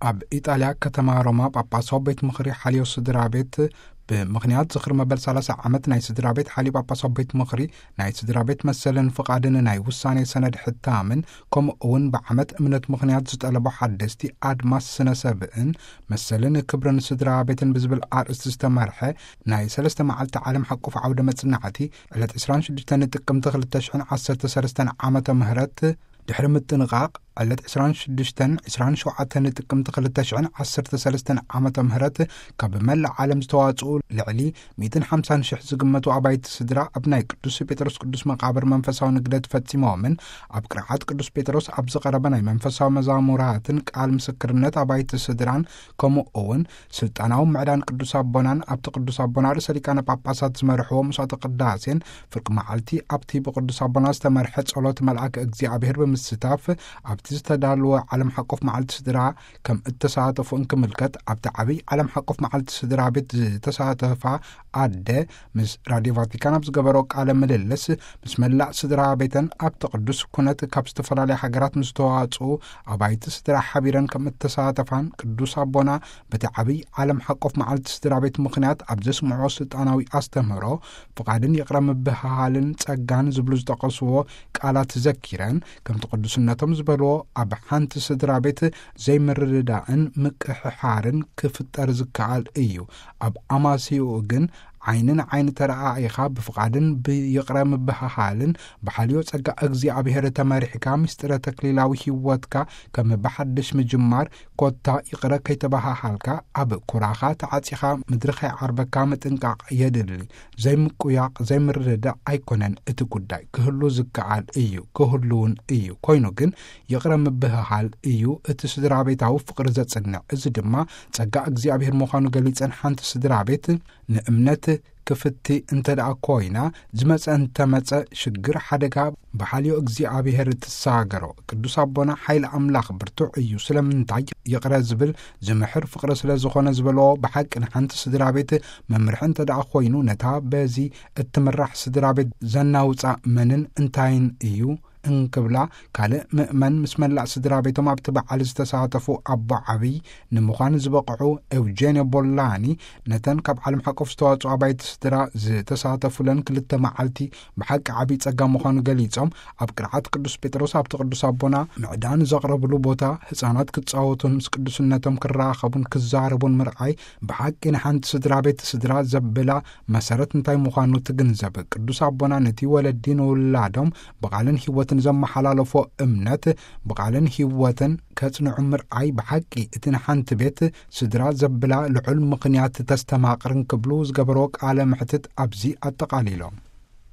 ኣብ ኢጣልያ ከተማ ሮማ ጳጳሳዊ ቤት ምኽሪ ሓልዮ ስድራ ቤት፣ ብምኽንያት ዝኽሪ መበል ሰላሳ ዓመት ናይ ስድራ ቤት ሓልዮ ጳጳሳዊ ቤት ምኽሪ፣ ናይ ስድራ ቤት መሰልን ፍቓድን ናይ ውሳኔ ሰነድ ሕታምን፣ ከምኡ እውን ብዓመት እምነት ምኽንያት ዝጠለቦ ሓደስቲ ኣድማስ ስነ ሰብእን መሰልን ክብርን ስድራ ቤትን ብዝብል ኣርእስቲ ዝተመርሐ ናይ ሰለስተ መዓልቲ ዓለም ሓቆፍ ዓውደ መጽናዕቲ፣ ዕለት ዕስራን ሽዱሽተን ጥቅምቲ ክልተ ሽሕን ዓሰርተ ሰለስተን ዓመተ ምህረት ድሕሪ ምጥንቓቕ፣ ዕለት ዕስራን ሽዱሽተን፣ ዕስራን ሸውዓተን ጥቅምቲ ክልተ ሽሕን ዓሰርተ ሰለስተን ዓመተ ምህረት ካብ መላእ ዓለም ዝተዋጽኡ ልዕሊ ሚእትን ሓምሳን ሽሕ ዝግመቱ ኣባይቲ ስድራ ኣብ ናይ ቅዱስ ጴጥሮስ ቅዱስ መቓብር መንፈሳዊ ንግደት ፈጺሞምን፣ ኣብ ቅርዓት ቅዱስ ጴጥሮስ ኣብ ዝቐረበ ናይ መንፈሳዊ መዛሙራትን ቃል ምስክርነት ኣባይቲ ስድራን፣ ከምኡ እውን ስልጣናዊ ምዕዳን ቅዱስ ኣቦናን ኣብቲ ቅዱስ ኣቦና ርእሰ ሊቃነ ጳጳሳት ዝመርሕዎ መስዋዕተ ቅዳሴን ፍርቂ መዓልቲ ኣብቲ ብቅዱስ ኣቦና ዝተመርሐ ጸሎት መልኣከ እግዚኣብሔር ብምስታፍ ኣብቲ ዝተዳለወ ዓለም ሓቆፍ መዓልቲ ስድራ ከም እተሳተፉ እንክምልከት፣ ኣብቲ ዓብይ ዓለም ሓቆፍ መዓልቲ ስድራ ቤት ዝተሳተፋ ኣደ ምስ ራድዮ ቫቲካን ኣብ ዝገበሮ ቃለ ምልልስ፣ ምስ መላእ ስድራ ቤተን ኣብቲ ቅዱስ ኩነት ካብ ዝተፈላለያ ሃገራት ምስ ተዋጽኡ ኣባይቲ ስድራ ሓቢረን ከም እተሳተፋን፣ ቅዱስ ኣቦና በቲ ዓብይ ዓለም ሓቆፍ መዓልቲ ስድራ ቤት ምኽንያት ኣብ ዘስምዖ ስልጣናዊ ኣስተምህሮ፣ ፍቓድን ይቕረ ምብህሃልን ጸጋን ዝብሉ ዝጠቐስዎ ቃላት ዘኪረን፣ ከምቲ ቅዱስነቶም ዝበልዎ፣ ኣብ ሓንቲ ስድራ ቤት ዘይምርድዳእን ምቅሕሓርን ክፍጠር ዝከኣል እዩ። ኣብ ኣማስይኡ ግን ዓይኒ ንዓይኒ ተረኣኢኻ ብፍቓድን ብይቕረ ምብህሃልን ብሓልዮ ጸጋ እግዚኣብሔር ተመሪሕካ፣ ምስጢረ ተክሊላዊ ህይወትካ ከም ብሓድሽ ምጅማር፣ ኮታ ይቕረ ከይተበሃሃልካ፣ ኣብ ኩራኻ ተዓጺኻ ምድሪ ከይዓርበካ ምጥንቃቕ የድሊ። ዘይምቁያቕ፣ ዘይምርድዳእ ኣይኮነን እቲ ጉዳይ። ክህሉ ዝከኣል እዩ፣ ክህሉ እውን እዩ። ኮይኑ ግን ይቕረ ምብህሃል እዩ እቲ ስድራ ቤታዊ ፍቕሪ ዘጽንዕ። እዚ ድማ ጸጋ እግዚኣብሔር ምዃኑ ገሊጸን፣ ሓንቲ ስድራ ቤት ንእምነት ክፍቲ እንተ ደኣ ኮይና፣ ዝመጸ እንተመጸ ሽግር፣ ሓደጋ ብሓልዮ እግዚኣብሔር ትሳገሮ። ቅዱስ ኣቦና ሓይሊ ኣምላኽ ብርቱዕ እዩ። ስለምንታይ ይቕረ ዝብል ዝምሕር ፍቕሪ ስለ ዝኾነ ዝበልዎ፣ ብሓቂ ንሓንቲ ስድራ ቤት መምርሒ እንተ ደኣ ኮይኑ፣ ነታ በዚ እትምራሕ ስድራ ቤት ዘናውጻ መንን እንታይን እዩ? እንክብላ፣ ካልእ ምእመን ምስ መላእ ስድራ ቤቶም ኣብቲ በዓል ዝተሳተፉ ኣቦ ዓብይ ንምዃን ዝበቕዑ ኤውጄንዮ ቦላኒ፣ ነተን ካብ ዓለም ሓቆፍ ዝተዋጽኦ ኣባይቲ ስድራ ዝተሳተፉለን ክልተ መዓልቲ ብሓቂ ዓብይ ጸጋ ምዃኑ ገሊጾም፣ ኣብ ቅርዓት ቅዱስ ጴጥሮስ ኣብቲ ቅዱስ ኣቦና ምዕዳን ዘቕረብሉ ቦታ፣ ህጻናት ክጻወቱን ምስ ቅዱስነቶም ክራኸቡን ክዛረቡን ምርኣይ፣ ብሓቂ ንሓንቲ ስድራ ቤት ስድራ ዘብላ መሰረት እንታይ ምዃኑ ትግንዘብ። ቅዱስ ኣቦና ነቲ ወለዲ ንውላዶም ብቓልን ህይወትን ዘመሓላለፎ እምነት፣ ብቓልን ህይወትን ከጽንዑ ምርኣይ፣ ብሓቂ እቲ ንሓንቲ ቤት ስድራ ዘብላ ልዑል ምኽንያት ተስተማቕርን ክብሉ ዝገበርዎ ቃለ መሕትት ኣብዚ ኣጠቓሊሎም።